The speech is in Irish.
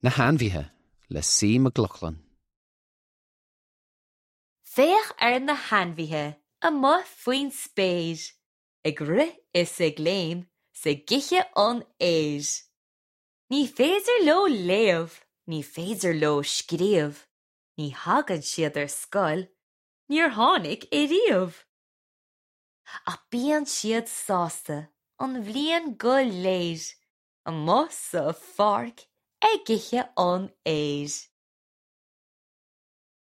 Na hAinmhithe le C. McLaughlin. Féach ar na hainmhithe amuigh faoin spéir, ag rith is ag léim 's ag ithe an fhéir. Ní féidir leo léamh, ní féidir leo scríobh, ní thagann siad ar scoil, níor tháinig ariamh. Ach bíonn siad sásta an bhliain go léir, amuigh sa pháirc ag ithe an fhéir.